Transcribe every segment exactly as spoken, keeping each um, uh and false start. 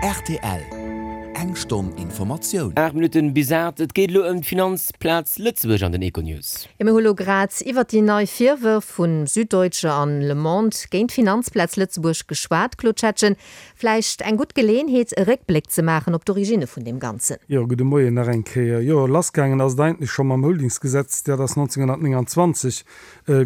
R T L, Eng Stonn Informatioun. Aacht Minutten bis aacht. Et geet elo ëm d'Finanzplaz Lëtzebuerg an den Econews. Jo, mir hu lo grad iwwer déi nei Virwërf vun Süddeutsche an Le Monde géint d'Finanzplaz Lëtzebuerg geschwat, Claude Schettgen. Vläicht eng gutt Geleeënheet, e Réckbléck ze maachen op d'Originne vun deem Ganzen. Jo, gudde Moien nach eng Kéier. Jo, lassgaangen ass et eigentlech scho mam Holdingsgesetz, dat ass nonzénghonnertnénganzwanzeg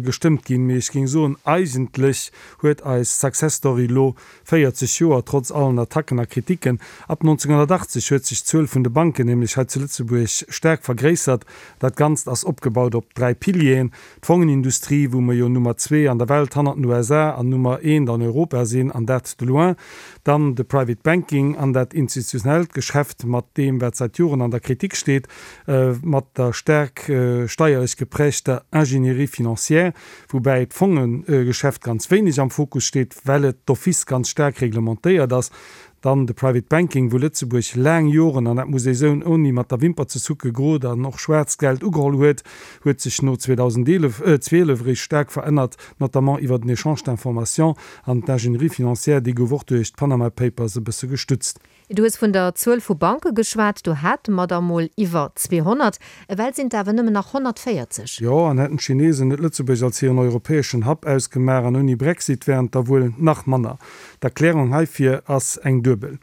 gestëmmt ginn. Mee ech géing soen, eigentlech huet eis Success Story elo véierzeg Joer, trotz allen Attacken a Kritiken. Ab nonzénghonnertachtzeg huet sech d'Zuel vun de Banken nämlech hei zu Lëtzebuerg staark vergréissert. Dat Ganzt ass opgebaut op dräi Pilieren, d'Fongenindustrie, wou mer jo Nummer zwee an der Welt hannert den U S A an Nummer eent an Europa sinn, an dat de loin, dann de Private Banking an dat institutionellt Geschäft mat deem, wat säit Joren an der Kritik steet, mat der staark steierlech geprägter Ingénierie financière, woubäi d'Fongegeschäft ganz wéineg am Fokus steet, well et d'office ganz staark reglementéiert ass. Dann de Private Banking, wou Lëtzebuerg laang Joren, an dat muss ee soen, ouni mat der Wimper ze zucke grot an och schwaarzt Geld ugeholl huet, huet sech no zweedausendeelef zwielef eréischt staark verännert, notamment iwwer den Échange d'informations an d'Ingénierie financière, déi gouf och duerch d'Panama Papers e bësse gestützt. Du hues vun der Zuel vu Banke geschwat, do hate mer der mol iwwer zweehonnert, ewell sinn et awer nëmmen nach honnertvéierzeg. Jo, an hätten d'Chinesen net Lëtzebuerg als hiren europäeschen Hub ausgemaach an ouni Brexit wären et der wuel nach manner. D'Erklärung heifir ass eng duebel.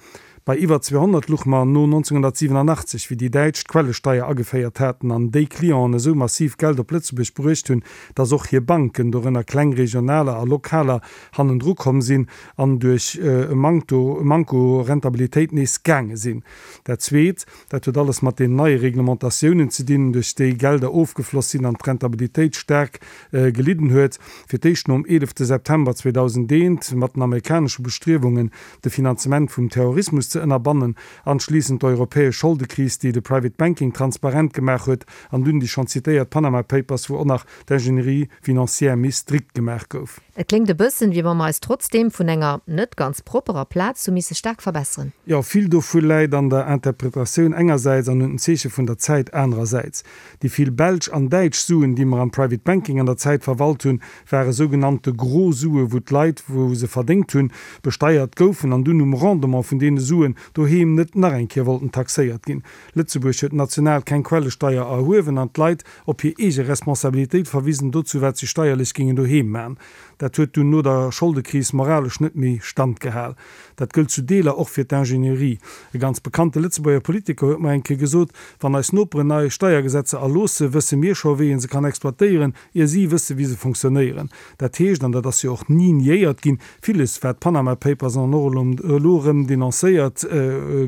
Bei iwwer zweehonnert luch mer no nonzénghonnertsiwenanachtzeg, wéi déi Däitsch d'Quellesteier ageféiert haten an déi Clienten esou massiv Geld op Lëtzebuerg bruecht hunn, dass och hir Banken, dorënner kleng regionaler a lokaler, hannendru komm sinn an duerch e Mankto, e Manko u Rentabilitéit nees gaange sinn. Dat Zweet, dat huet alles mat den neie Reglementatiounen ze dinn, duerch déi Gelder ofgefloss sinn an d'Rentabilitéit staark gelidden huet. Fir d'éischt nom eelefte September zweedausendeent mat den amerikanesche Bestriewungen, de Finanzement vum Terrorismus ze ënnerbannen, anschliissend d'europäesch Scholdekris, déi de Private Banking transparent gemaach huet, an dunn déi schonn zitéiert Panama Papers, wou och nach d'Ingénierie financière méi strikt gemaach gouf. Et kléngt e bëssen, wéi wa mer eis trotzdeem vun enger net ganz propperer Plaz hu misse staark verbesseren. Jo, vill dovu läit an der Interpretatioun engersäits an un den Zeeche vun der Zäit anerersäits. Déi vill belsch an däitsch Suen, déi mer am Private Banking an der Zäit verwalt hunn, ware sougenannte gro Sue, wou d'Leit, wou se verdéngt hunn, besteiert goufen an dunn um Rendement vun deene Suen doheem net nach eng Kéier wollten taxéiert ginn. Lëtzebuerg huet national keng Quellesteier erhuewen an d'Leit op hir eege Responsabilitéit verwisen dozou, wat si steierlech gingen doheem man. Dat huet dunn no der Scholdekris moralesch net méi Stand gehal. Dat gëllt zu Deeler och fir d'Ingénierie. E ganz bekannte Lëtzebuerger Politiker huet mer eng Kéier gesot, Wann eis Noperen nei Steiergesetzer erloosse, wësse mir scho wéi een se kann exploitéieren, ier si wësse wéi se fonctionnéieren. Dat heescht, an dat ass jo och ni niéiert ginn, villes wat d'Panama Papers an och elo erëm denoncéiert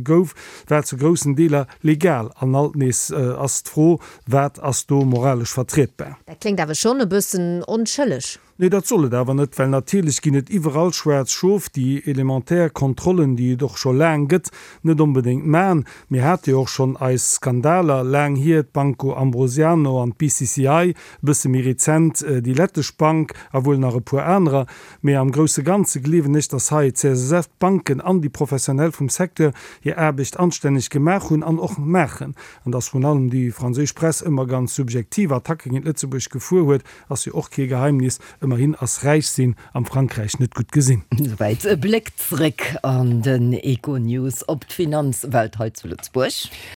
gouf, war zu groussen Deeler legal. An alt nees ass d'Fro, Wat ass do moralesch vertrietbar? Dat kléngt awer schonn e bëssen onschëlleg. Nee, dat soll et awer net, well natierlech ginn et iwwerall schwaarz Schof, déi elementär Kontrollen, déi et och scho laang gëtt, net onbedéngt man. Mir hate jo och schonn eis Skandaler, laang hier d'Banco Ambrosiano an d'B C C I, e bësse méi rezent déi lettesch Bank a wuel nach e puer anerer. Mee am grousse Ganze gleewen ech, datt hei d'C S S F, d'Banken an déi Professionell vum Secteur hir Aarbecht anstänneg gemaach hunn an och maachen. An datt vrun allem déi franséisch Press ëmmer ganz subjektiv Attacke géint Lëtzebuerg gefuer huet, ass jo och kee Geheimnis. Ëmmerhin ass räich sinn am Frankräich net gutt gesinn. Souwäit e Bléck zréck an den Econews op d'Finanzwelt hei zu Lëtzebuerg.